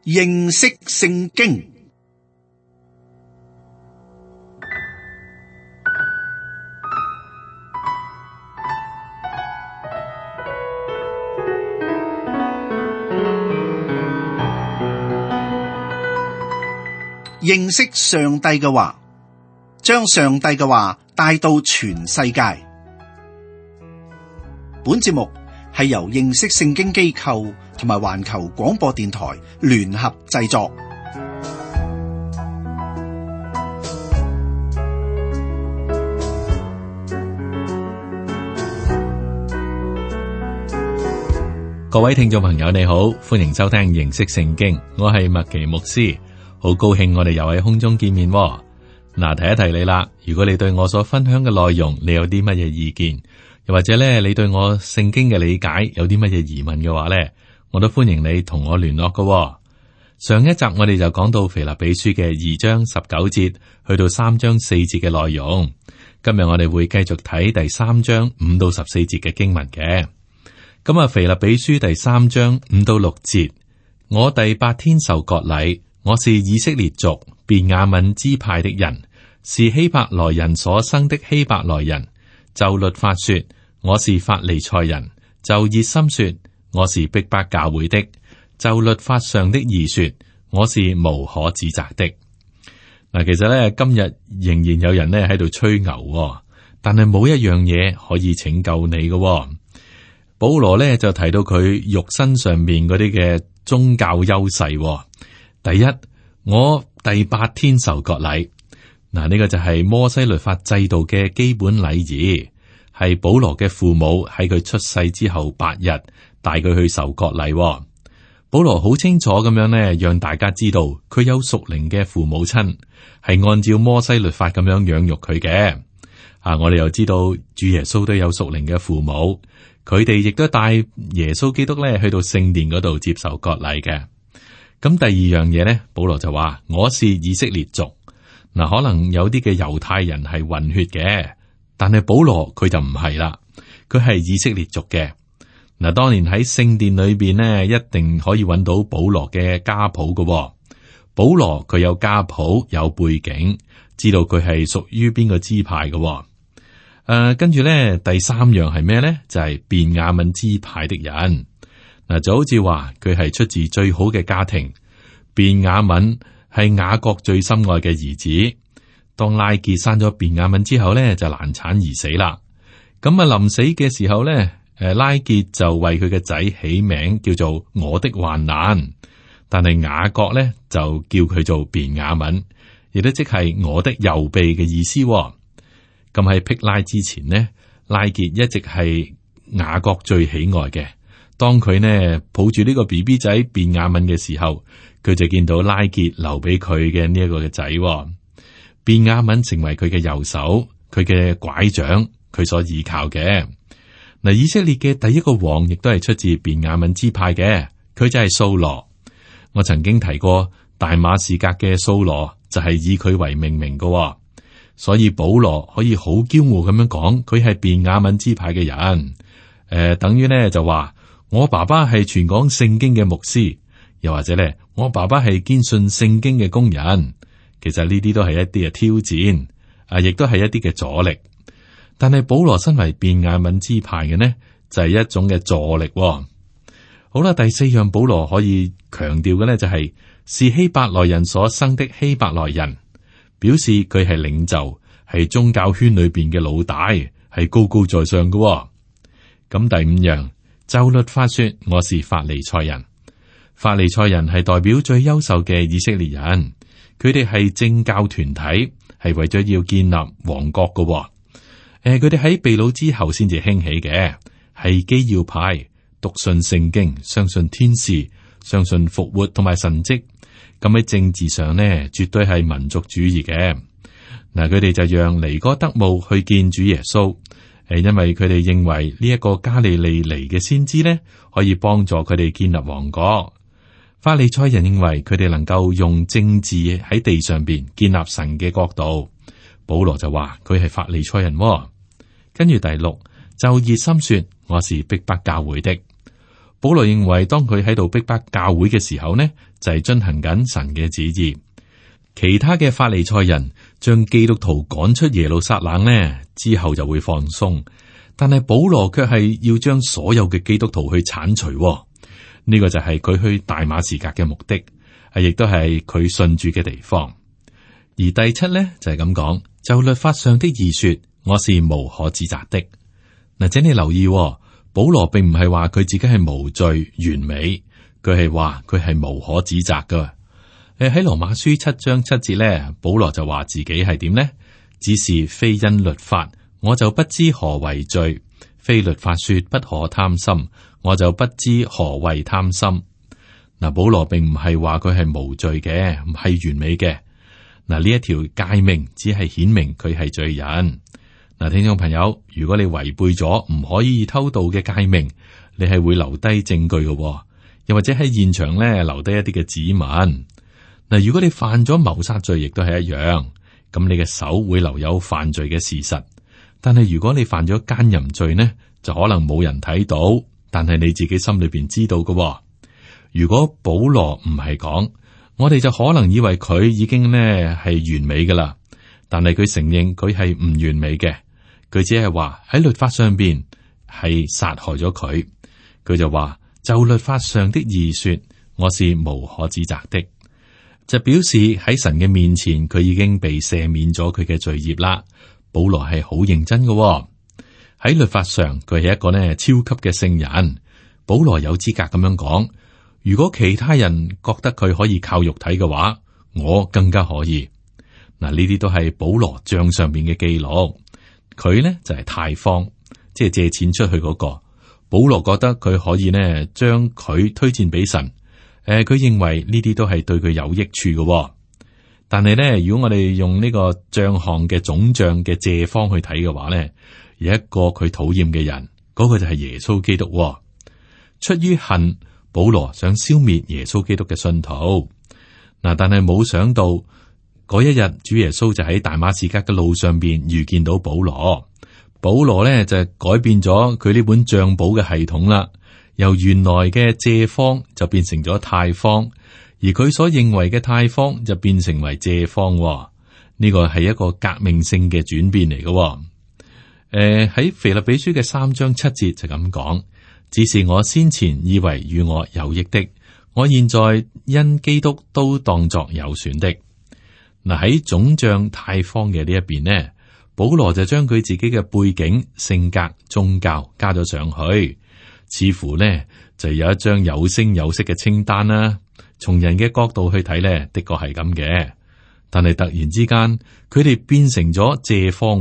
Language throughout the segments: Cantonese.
認識聖經。認識上帝嘅話，將上帝嘅話帶到全世界。本節目係由認識聖經機構同埋環球廣播電台聯合製作。各位聽眾朋友，你好，歡迎收聽認識聖經，我係麥奇牧師。好高興我哋又喺空中見面喎。嗱，提一提你啦，如果你對我所分享嘅內容，你有啲乜嘢意見，又或者咧你對我聖經嘅理解有啲乜嘢疑問嘅話咧，我都歡迎你同我聯絡㗎喎。上一集我哋就講到腓立比書嘅2章19節去到3章4節嘅內容，今日我哋會繼續睇第3章5到14節嘅經文嘅。咁啊，腓立比書第3章5到6節，我第8天受割禮。我是以色列族便雅憫支派的人，是希伯來人所生的希伯來人。就律法說，我是法利賽人；就熱心說，我是逼迫教會的；就律法上的義說，我是無可指責的。嗱，其實咧今日仍然有人咧喺度吹牛，但係冇一樣嘢可以拯救你嘅。保羅咧就提到佢肉身上面嗰啲嘅宗教優勢。第一，我第8天受割禮。嗱，呢個就係摩西律法制度嘅基本禮儀，係保羅嘅父母喺佢出世之後8日帶佢去受割禮。保羅好清楚咁樣呢，讓大家知道佢有屬靈嘅父母親，係按照摩西律法咁樣養育佢嘅。我哋又知道主耶穌都有屬靈嘅父母，佢哋亦都帶耶穌基督咧去到聖殿嗰度接受割禮嘅。咁第二樣嘢咧，保羅就話我是以色列族。嗱，可能有啲嘅猶太人係混血嘅，但係保羅佢就唔係啦，佢係以色列族嘅。嗱，當年喺聖殿裏邊呢，一定可以揾到保羅嘅家譜嘅。保羅佢有家譜，有背景，知道佢係屬於邊個支派嘅。跟住咧，第三樣係咩咧？就係便雅憫支派的人。嗱，就好似話佢係出自最好嘅家庭，便雅憫係雅各最心愛嘅兒子。當拉結生咗便雅憫之後咧，就難產而死啦。咁啊，臨死嘅時候咧，拉結就為佢嘅仔起名叫做我的患難，但係雅各咧就叫佢做便雅憫，亦都即係我的右臂嘅意思。咁喺辟拉之前呢，拉結一直係雅各最喜愛嘅。當佢呢抱住呢個 BB 仔便雅憫嘅時候，佢就見到拉結留俾佢嘅呢一個嘅仔。便雅憫成為佢嘅右手，佢嘅拐杖，佢所依靠嘅。嗱，以色列嘅第一個王亦都係出自便雅憫支派嘅，佢就係掃羅。我曾經提過大馬士革嘅掃羅就係以佢為命名嘅，所以保羅可以好驕傲咁樣講佢係便雅憫支派嘅人。等於呢就話。我爸爸係全港聖經嘅牧師，又或者咧，我爸爸係堅信聖經嘅工人。其實呢啲都係一啲嘅挑戰，亦都係一啲嘅阻力。但係保羅身為便雅憫支派嘅呢，就係一種嘅助力。好啦，第四樣保羅可以強調嘅呢，就係希伯來人所生的希伯來人，表示佢係領袖，係宗教圈裏邊嘅老大，係高高在上嘅。咁第五樣。就律法說，我是法利賽人。法利賽人係代表最優秀嘅以色列人，佢哋係政教團體，係為咗要建立王國嘅。佢哋喺被擄之後先至興起嘅，係基要派，篤信聖經，相信天使，相信復活同埋神蹟。咁喺政治上呢，絕對係民族主義嘅。嗱，佢哋就讓尼哥德慕去見主耶穌。因為佢哋認為呢一個加利利嚟嘅先知呢，可以幫助佢哋建立王國。法利賽人認為佢哋能夠用政治喺地上邊建立神嘅國度。保羅就話佢係法利賽人。跟住第六，就熱心說我是逼迫教會的。保羅認為，當佢喺度逼迫教會嘅時候呢，就係遵行緊神嘅旨意。其他嘅法利賽人將基督徒趕出耶路撒冷呢，之後就會放鬆，但係保羅卻係要將所有嘅基督徒去鏟除。呢個就係佢去大馬士革嘅目的，亦都係佢信主嘅地方。而第七呢，就係咁講，就律法上的義說，我是無可指責的。嗱，請你留意，保羅並唔係話佢自己係無罪完美，佢係話佢係無可指責噶。喺羅馬書7章7節咧，保羅就話自己係點呢？只是非因律法，我就不知何為罪；非律法說不可貪心，我就不知何為貪心。嗱，保羅並唔係話佢係無罪嘅，唔係完美嘅。嗱，呢一條誡命只係顯明佢係罪人。嗱，聽眾朋友，如果你違背咗唔可以偷盜嘅誡命，你係會留低證據嘅，又或者喺現場咧留低一啲嘅指紋。嗱，如果你犯咗謀殺罪，亦都係一樣，咁你嘅手會留有犯罪嘅事實。但係如果你犯咗奸淫罪呢，就可能冇人睇到，但係你自己心裏邊知道嘅。如果保羅唔係講，我哋就可能以為佢已經呢係完美噶啦，但係佢承認佢係唔完美嘅，佢只係話喺律法上邊係殺害咗佢，佢就話就律法上的義說，我是無可指責的。就表示喺神嘅面前，佢已經被赦免咗佢嘅罪孽啦。保羅係好認真嘅，喺律法上佢係一個呢超級嘅聖人。保羅有資格咁樣講，如果其他人覺得佢可以靠肉體嘅話，我更加可以。嗱，呢啲都係保羅賬上面嘅記錄。佢呢就係貸方，即係借錢出去嗰個。保羅覺得佢可以呢將佢推薦俾神。佢認為呢啲都係對佢有益處嘅，但係咧，如果我哋用呢個賬項嘅總賬嘅借方去睇嘅話咧，有一個佢討厭嘅人，嗰個就係耶穌基督。出於恨，保羅想消滅耶穌基督嘅信徒。嗱，但係冇想到嗰一日，主耶穌就喺大馬士革嘅路上邊遇見到保羅。保羅咧就改變咗佢呢本賬簿嘅系統啦。由原來嘅借方就變成咗貸方，而佢所認為嘅貸方就變成為借方。呢個係一個革命性嘅轉變嚟嘅。喺腓立比書嘅3章7節就咁講，只是我先前以為與我有益的，我現在因基督都當作有損的。嗱，喺總賬貸方嘅呢一邊呢，保羅就將佢自己嘅背景、性格、宗教加咗上去。似乎呢就有一張有聲有色嘅清單啦。從人嘅角度去睇呢，的確係咁嘅。但係突然之間，佢哋變成咗借方。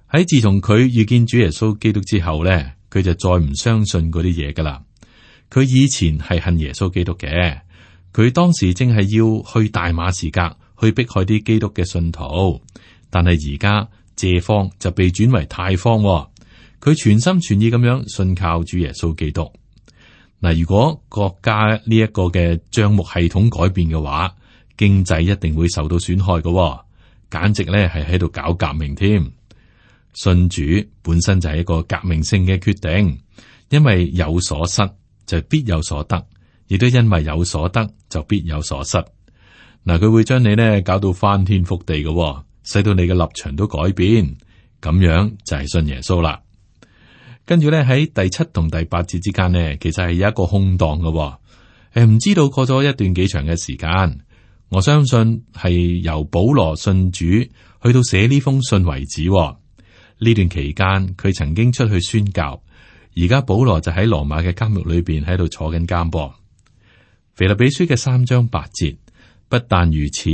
喺自從佢遇見主耶穌基督之後呢，佢就再唔相信嗰啲嘢噶啦。佢以前係恨耶穌基督嘅，佢當時正係要去大馬士革去迫害啲基督嘅信徒，但係而家借方就被轉為貸方。佢全心全意咁樣信靠主耶穌基督。嗱，如果國家呢一個嘅賬目系統改變嘅話，經濟一定會受到損害嘅，簡直咧係喺度搞革命添。信主本身就係一個革命性嘅決定，因為有所失就必有所得，亦都因為有所得就必有所失。嗱，佢會將你呢搞到翻天覆地嘅，使到你嘅立場都改變，咁樣就係信耶穌啦。跟住咧喺第7同第8節之間呢，其實係有一個空檔嘅，唔知道過咗一段幾長嘅時間。我相信係由保羅信主去到寫呢封信為止。呢段期間佢曾經出去宣教，而家保羅就喺羅馬嘅監獄裏邊喺度坐緊監噃。腓立比書嘅3章8節，不但如此，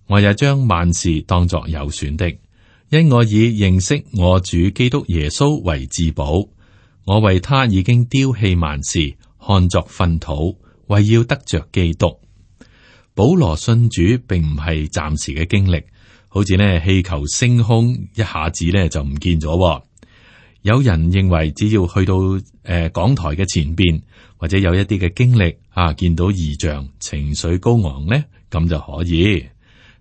我也將萬事當作有損的，因我以認識我主基督耶穌為至寶。我為他已經丟棄萬事，看作糞土，為要得着基督。保羅信主並唔係暫時嘅經歷，好似呢氣球升空一下子呢就唔見咗。有人認為只要去到講台嘅前邊，或者有一啲嘅經歷見到異象，情緒高昂呢，咁就可以。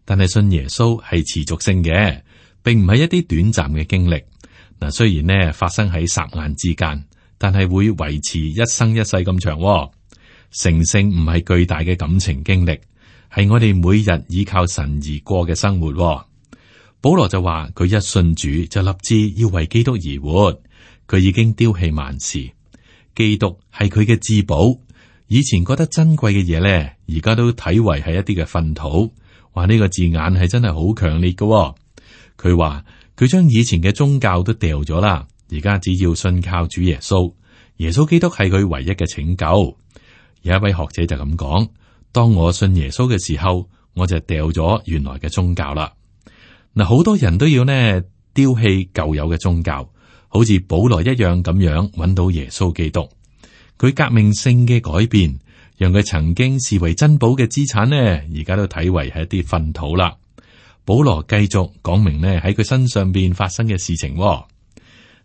但係信耶穌係持續性嘅，並唔係一啲短暫嘅經歷。嗱，雖然呢發生喺霎眼之間，但係會維持一生一世咁長喎。成聖唔係巨大嘅感情經歷，係我哋每日依靠神而過嘅生活喎。保羅就話佢一信主就立志要為基督而活，佢已經丟棄萬事，基督係佢嘅至寶。以前覺得珍貴嘅嘢咧，而家都睇為係一啲嘅糞土。話呢個字眼係真係好強烈嘅喎。佢話佢將以前嘅宗教都掉咗啦，而家只要信靠主耶穌，耶穌基督係佢唯一嘅拯救。有一位學者就咁講：當我信耶穌嘅時候，我就掉咗原來嘅宗教啦。嗱，好多人都要呢丟棄舊有嘅宗教，好似保羅一樣咁樣揾到耶穌基督。佢革命性嘅改變，讓佢曾經視為珍寶嘅資產呢，而家都睇為係一啲糞土啦。保羅繼續講明呢喺佢身上邊發生嘅事情喎。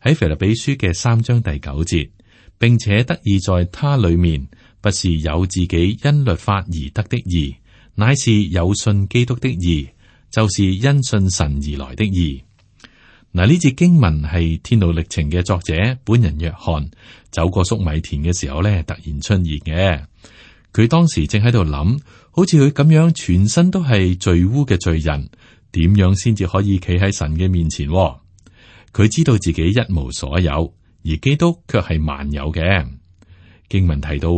喺腓立比書嘅3章第9節，並且得以在他裏面，不是有自己因律法而得的義，乃是有信基督的義，就是因信神而來的義。嗱，呢節經文係天路歷程嘅作者本人約翰走過粟米田嘅時候咧，突然出現嘅。佢當時正喺度諗，好似佢咁樣全身都係罪污嘅罪人，點樣先至可以企喺神嘅面前？佢知道自己一無所有，而基督卻係萬有嘅。經文提到，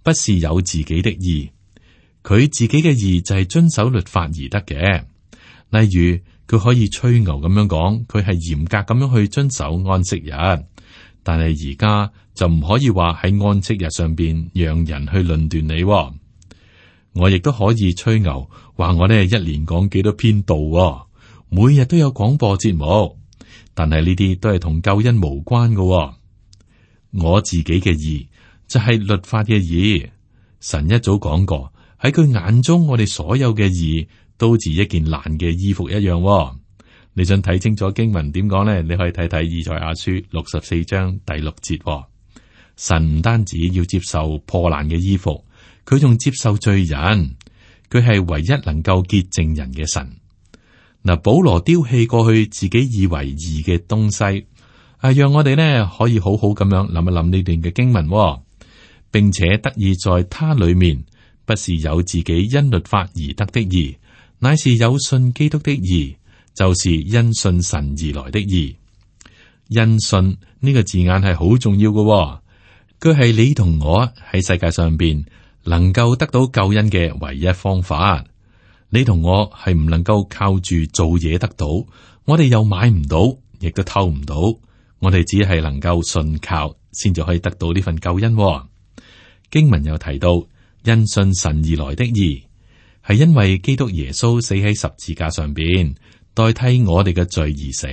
不是有自己的義，佢自己嘅義就係遵守律法而得嘅。例如，佢可以吹牛咁樣講，佢係嚴格咁樣去遵守安息日，但係而家就唔可以話喺安息日上邊讓人去論斷你。我亦都可以吹牛，話我呢一年講幾多篇道，每日都有廣播節目，但係呢啲都係同救恩無關嘅。我自己嘅義就係律法嘅義。神一早講過，喺佢眼中，我哋所有嘅義都似一件爛嘅衣服一樣。你想睇清楚經文點講呢？你可以睇睇以賽亞書64章第6節。神唔單止要接受破爛嘅衣服，佢仲接受罪人。佢係唯一能夠潔淨人嘅神。嗱，保羅丟棄過去自己以為義嘅東西，讓我哋呢可以好好咁樣諗一諗呢段嘅經文，並且得以在他裏面，不是有自己因律法而得的義，乃是有信基督的義，就是因信神而來的義。因信呢個字眼係好重要嘅，佢係你同我喺世界上邊能夠得到救恩嘅唯一方法。你同我係唔能夠靠住做嘢得到，我哋又買唔到，亦都偷唔到，我哋只係能夠信靠，先至可以得到呢份救恩。經文又提到，因信神而來的義，係因為基督耶穌死喺十字架上邊，代替我哋嘅罪而死。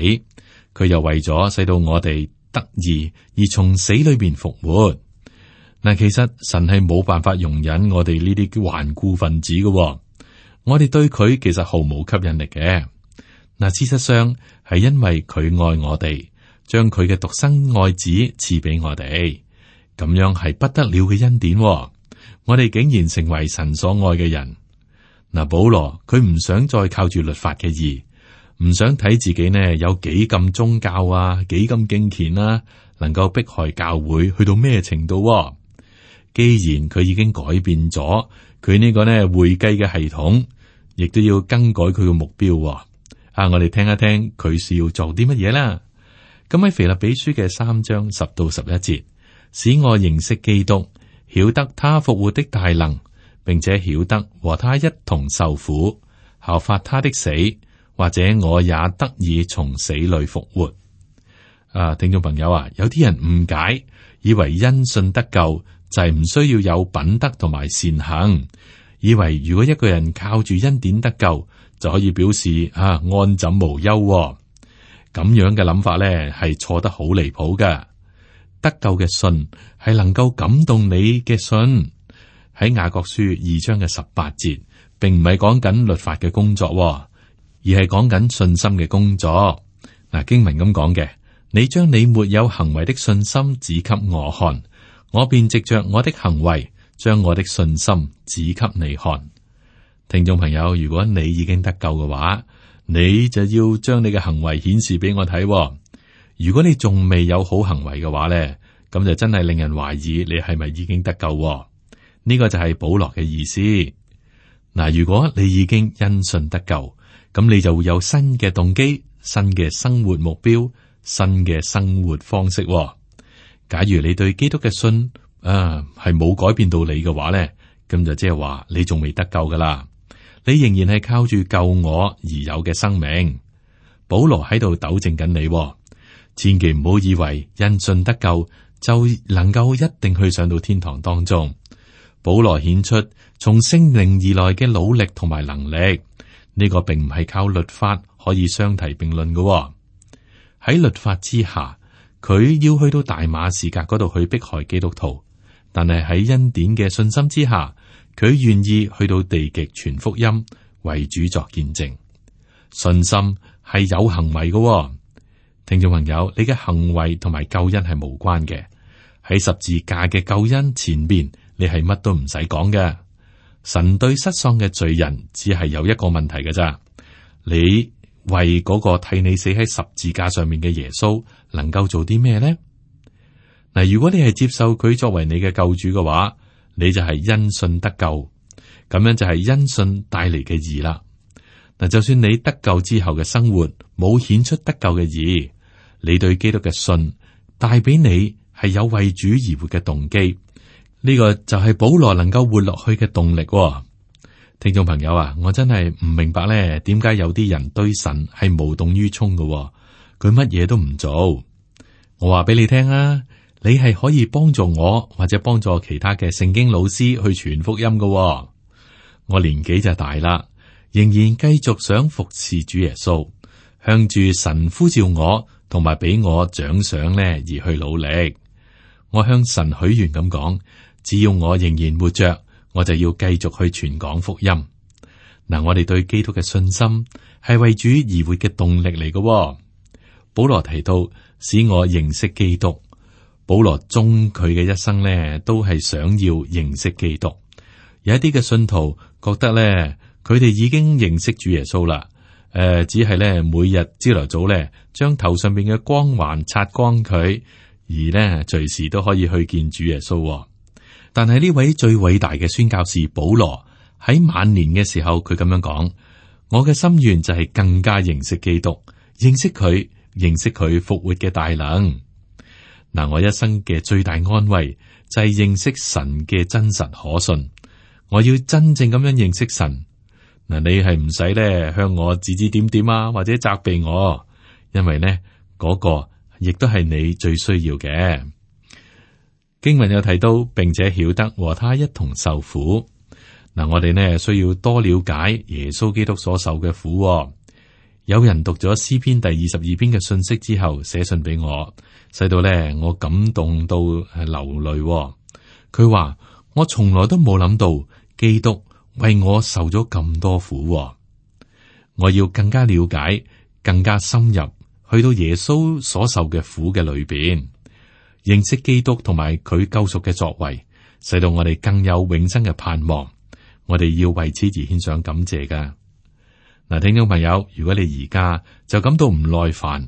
佢又為咗使到我哋得義而從死裏邊復活。嗱，其實神係冇辦法容忍我哋呢啲頑固分子嘅，我哋對佢其實毫無吸引力嘅。嗱，事實上係因為佢愛我哋，將佢嘅獨生愛子賜俾我哋。咁樣係不得了嘅恩典，我哋竟然成為神所愛嘅人。嗱，保羅佢唔想再靠住律法嘅義，唔想睇自己呢有幾咁宗教啊，幾咁敬虔啊，能夠迫害教會去到咩程度。既然佢已經改變咗佢呢個呢會計嘅系統，亦都要更改佢嘅目標。我哋聽一聽佢是要做啲乜嘢啦。咁喺腓立比書嘅3章10到11節。使我認識基督，曉得他復活的大能，並且曉得和他一同受苦，效法他的死，或者我也得以從死裏復活。聽眾朋友啊，有啲人誤解，以為因信得救就係唔需要有品德同埋善行，以為如果一個人靠住恩典得救，就可以表示安枕無憂。咁樣嘅諗法咧，係錯得好離譜㗎。得救嘅信係能夠感動你嘅信。喺雅各書2章嘅18節，並唔係講緊律法嘅工作，而係講緊信心嘅工作。經文咁講嘅，你將你沒有行為的信心指給我看，我便藉着我的行為將我的信心指給你看。聽眾朋友，如果你已經得救嘅話，你就要將你嘅行為顯示俾我睇。如果你仲未有好行為嘅話咧，咁就真係令人懷疑你係咪已經得救喎。呢個就係保羅嘅意思。嗱，如果你已經因信得救，咁你就會有新嘅動機、新嘅生活目標、新嘅生活方式喎。假如你對基督嘅信係冇改變到你嘅話咧，咁就即係話你仲未得救噶啦，你仍然係靠住救我而有嘅生命。保羅喺度糾正緊你喎，千祈唔好以為因信得救就能夠一定去上到天堂當中。保羅顯出從聖靈而來嘅努力同埋能力，呢個並唔係靠律法可以相提並論嘅喎。喺律法之下，佢要去到大馬士革嗰度去迫害基督徒，但係喺恩典嘅信心之下，佢願意去到地極傳福音，為主作見證。信心係有行為嘅喎。聽眾朋友，你嘅行為同埋救恩係無關嘅。喺十字架嘅救恩前邊，你係乜都唔使講嘅。神對失喪嘅罪人只係有一個問題嘅咋，你為嗰個替你死喺十字架上面嘅耶穌能夠做啲咩呢？嗱，如果你係接受佢作為你嘅救主嘅話，你就係因信得救，咁樣就係因信帶嚟嘅義啦。嗱，就算你得救之後嘅生活冇顯出得救嘅義，你對基督嘅信帶俾你係有為主而活嘅動機，呢個就係保羅能夠活落去嘅動力喎。聽眾朋友啊，我真係唔明白咧，點解有啲人對神係無動於衷嘅喎，佢乜嘢都唔做。我話俾你聽啊，你係可以幫助我或者幫助其他嘅聖經老師去傳福音嘅喎。我年紀就大啦，仍然繼續想服侍主耶穌，向住神呼召我，同埋俾我獎賞咧而去努力。我向神許願咁講，只要我仍然活着，我就要繼續去傳講福音。嗱，我哋對基督嘅信心係為主而活嘅動力嚟嘅喎。保羅提到使我認識基督，保羅終佢嘅一生呢，都係想要認識基督。有一啲嘅信徒覺得咧，佢哋已經認識主耶穌啦。只係咧每日朝頭早咧，將頭上邊嘅光環擦光佢，而呢隨時都可以去見主耶穌喎。但係呢位最偉大嘅宣教士保羅喺晚年嘅時候，佢咁樣講：我嘅心願就係更加認識基督，認識佢復活嘅大能。嗱，我一生嘅最大安慰就係認識神嘅真實可信。我要真正咁樣認識神。嗱，你係唔使咧向我指指點點啊，或者責備我，因為呢嗰個亦都係你最需要嘅。經文有提到，並且曉得和他一同受苦。嗱，我哋呢需要多了解耶穌基督所受嘅苦喎。有人讀咗詩篇第22篇嘅信息之後，寫信俾我，使到咧我感動到流淚喎。佢話：我從來都冇諗到基督為我受咗咁多苦喎。我要更加了解、更加深入去到耶穌所受嘅苦嘅裏邊，認識基督同埋佢救贖嘅作為，使到我哋更有永生嘅盼望。我哋要為此而獻上感謝噶。嗱，聽眾朋友，如果你而家就感到唔耐煩，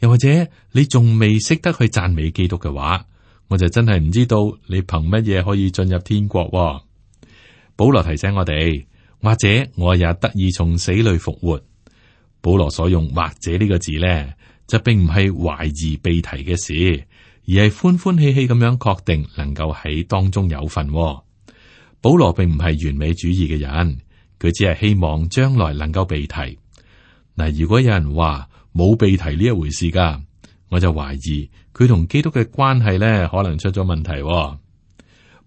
又或者你仲未識得去讚美基督嘅話，我就真係唔知道你憑乜嘢可以進入天國喎。保羅提醒我哋，或者我也得以從死裏復活。保羅所用或者呢個字咧，就並唔係懷疑被提嘅事，而係歡歡喜喜咁樣確定能夠喺當中有份喎。保羅並唔係完美主義嘅人，佢只係希望將來能夠被提。嗱，如果有人話冇被提呢一回事噶，我就懷疑佢同基督嘅關係咧，可能出咗問題喎。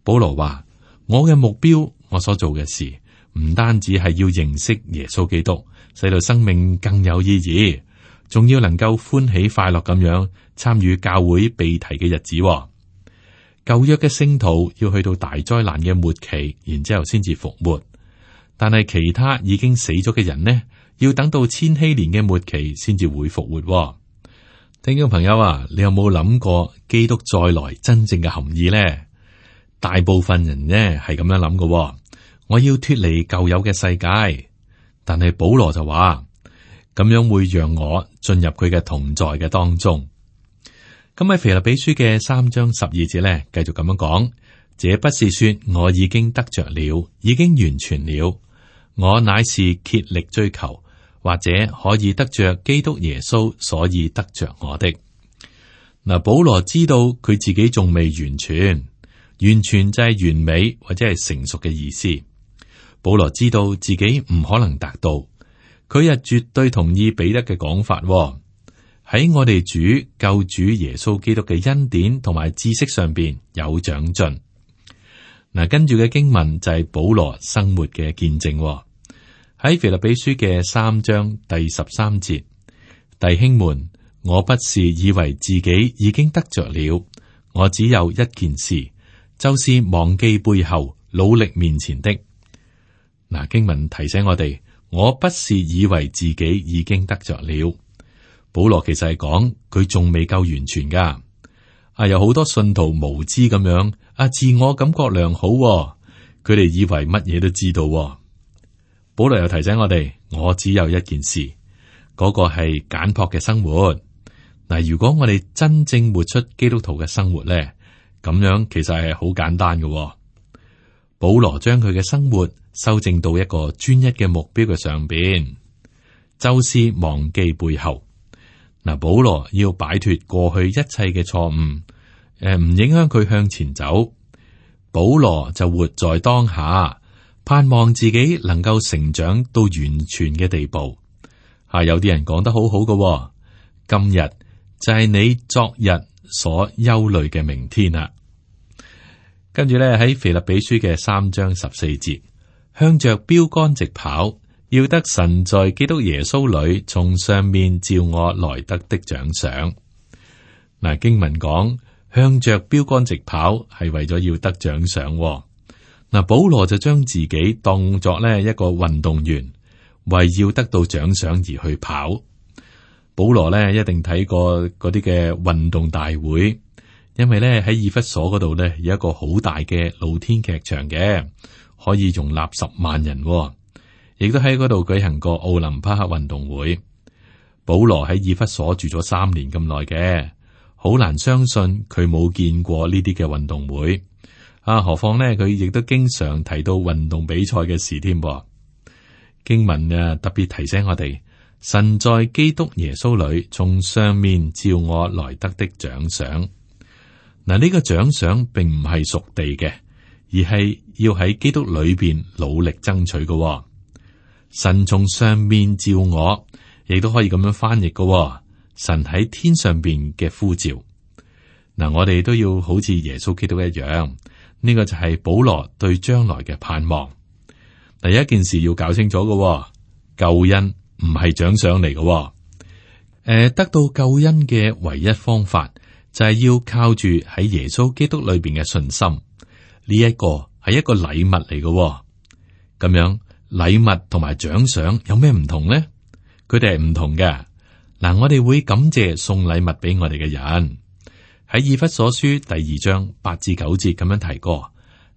保羅話：我嘅目標，我所做嘅事，唔單止係要認識耶穌基督，使到生命更有意義，仲要能夠歡喜快樂咁樣參與教會被提嘅日子喎。舊約嘅聖徒要去到大災難嘅末期，然之後先至復活。但係其他已經死咗嘅人呢，要等到千禧年嘅末期先至會復活喎。聽眾朋友啊，你有冇諗過基督再來真正嘅含義呢？大部分人呢係咁樣諗嘅，我要脫離舊有嘅世界。但係保羅就話，咁樣會讓我進入佢嘅同在嘅當中。咁喺腓立比書嘅3章12節咧，繼續咁樣講：這不是說我已經得着了，已經完全了，我乃是竭力追求，或者可以得着基督耶穌，所以得着我的。嗱，保羅知道佢自己仲未完全，完全就係完美或者係成熟嘅意思。保羅知道自己唔可能達到，佢又絕對同意彼得嘅講法，喺我哋主救主耶穌基督嘅恩典同埋知識上邊有長進。嗱，跟住嘅經文就係保羅生活嘅見證，喺腓立比書嘅3章第13節，弟兄們，我不是以為自己已經得着了，我只有一件事，就是忘記背後，努力面前的。嗱，經文提醒我哋，我不是以為自己已經得着了。保羅其實係講佢仲未夠完全噶。有好多信徒無知咁樣，自我感覺良好，佢哋以為乜嘢都知道。保羅又提醒我哋，我只有一件事，嗰個係簡樸嘅生活。嗱，如果我哋真正活出基督徒嘅生活咧，咁樣其實係好簡單嘅。保羅將佢嘅生活修正到一個專一嘅目標嘅上邊，就是忘記背後。嗱，保羅要擺脫過去一切嘅錯誤，唔影響佢向前走。保羅就活在當下，盼望自己能夠成長到完全嘅地步。有啲人講得好好嘅，今日就係你昨日所憂慮嘅明天啦。跟住咧，喺腓立比書嘅3章14節，向着標竿直跑，要得神在基督耶穌裏從上面召我來得的獎賞。嗱，經文講向着標竿直跑係為咗要得獎賞。嗱，保羅就將自己當作呢一個運動員，為要得到獎賞而去跑。保羅呢一定睇過嗰啲嘅運動大會，因為呢喺以弗所嗰度呢有一個好大嘅露天劇場嘅，可以容納10萬人。亦都喺嗰度舉行過奧林匹克運動會。保羅喺以弗所住咗3年咁耐嘅，好難相信佢冇見過呢啲嘅運動會。何況呢，佢亦都經常提到運動比賽嘅事添。經文特別提醒我哋，神在基督耶穌裏從上面召我來得的獎賞。嗱，呢個獎賞並唔係屬地嘅，而係要喺基督裏邊努力爭取嘅。神從上面召我，亦都可以咁樣翻譯嘅。神喺天上邊嘅呼召。嗱，我哋都要好似耶穌基督一樣，呢個就係保羅對將來嘅盼望。第一件事要搞清楚嘅，救恩唔係獎賞嚟嘅。得到救恩嘅唯一方法就係要靠住喺耶穌基督裏邊嘅信心。呢一個係一個禮物嚟嘅。咁樣。禮物同埋獎賞有咩唔同呢？佢哋係唔同嘅。嗱，我哋會感謝送禮物俾我哋嘅人。喺以弗所書第2章8至9節咁樣提過：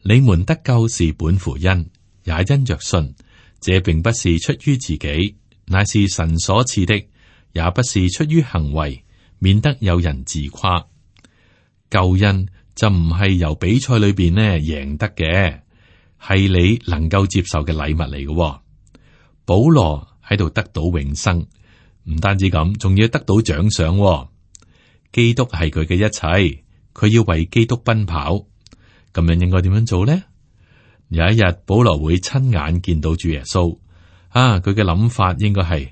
你們得救是本乎恩，也因着信。這並不是出於自己，乃是神所賜的；也不是出於行為，免得有人自誇。救恩就唔係由比賽裏邊呢贏得嘅。係你能夠接受嘅禮物嚟嘅。保羅喺度得到永生，唔單止咁，仲要得到獎賞。基督係佢嘅一切，佢要為基督奔跑。咁樣應該點樣做呢？有一日保羅會親眼見到主耶穌。佢嘅諗法應該係：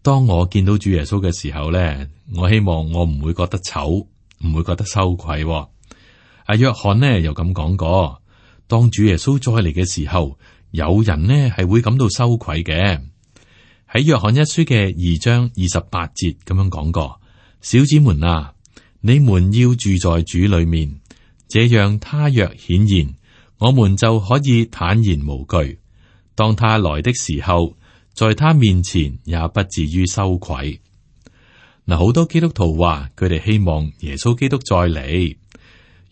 當我見到主耶穌嘅時候咧，我希望我唔會覺得醜，唔會覺得羞愧。約翰呢又咁講過。當主耶穌再嚟嘅時候，有人呢係會感到羞愧嘅。喺約翰一書嘅2章28節咁樣講過：小子們啊，你們要住在主裏面，這樣他若顯現，我們就可以坦然無懼。當他來的時候，在他面前也不至於羞愧。嗱，好多基督徒話佢哋希望耶穌基督再嚟，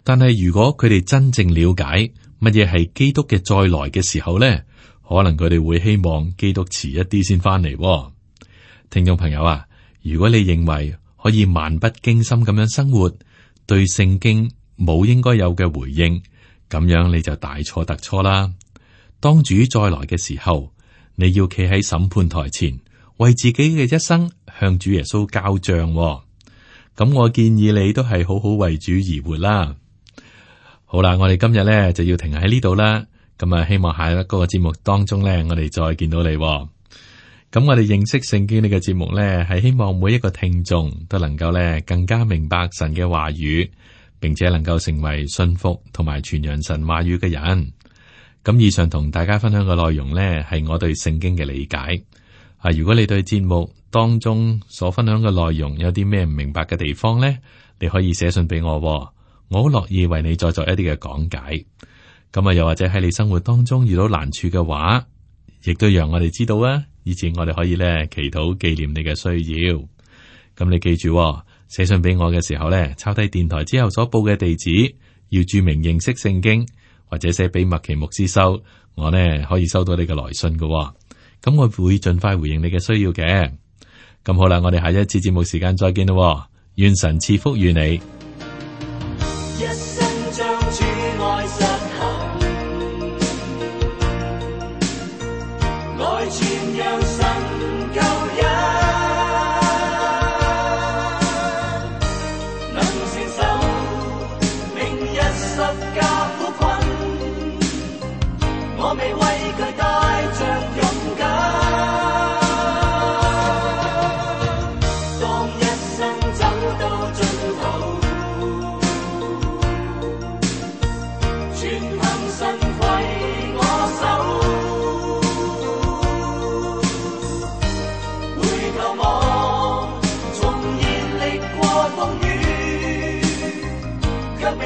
但係如果佢哋真正了解乜嘢係基督嘅再來嘅時候咧，可能佢哋會希望基督遲一啲先翻嚟。聽眾朋友啊，如果你認為可以漫不經心咁樣生活，對聖經冇應該有嘅回應，咁樣你就大錯特錯啦。當主再來嘅時候，你要企喺審判台前，為自己嘅一生向主耶穌交賬喎。咁我建議你都係好好為主而活啦。好啦，我哋今日咧就要停喺呢度啦。咁啊，希望下一個節目當中咧，我哋再見到你喎。咁我哋認識聖經呢個節目咧，係希望每一個聽眾都能夠咧更加明白神嘅話語，並且能夠成為信服同埋傳揚神話語嘅人。咁以上同大家分享嘅內容咧，係我對聖經嘅理解。如果你對節目當中所分享嘅內容有啲咩唔明白嘅地方咧，你可以寫信俾我喎，我好樂意為你再作一啲嘅講解。咁啊，又或者喺你生活當中遇到難處嘅話，亦都讓我哋知道啊，以前我哋可以咧祈禱紀念你嘅需要。咁你記住喎，寫信俾我嘅時候咧，抄低電台之後所報嘅地址，要注明認識聖經，或者寫俾麥奇牧師收，我呢可以收到你嘅來信嘅喎。咁我會盡快回應你嘅需要嘅。咁好啦，我哋下一次節目時間再見咯。願神賜福與你。一生將主愛實行，來傳揚神救恩，能承受明日十架苦困，我未為佢帶着勇敢。當一生走到盡頭，全憑神攜我手，回頭望，縱然歷過風雨，卻未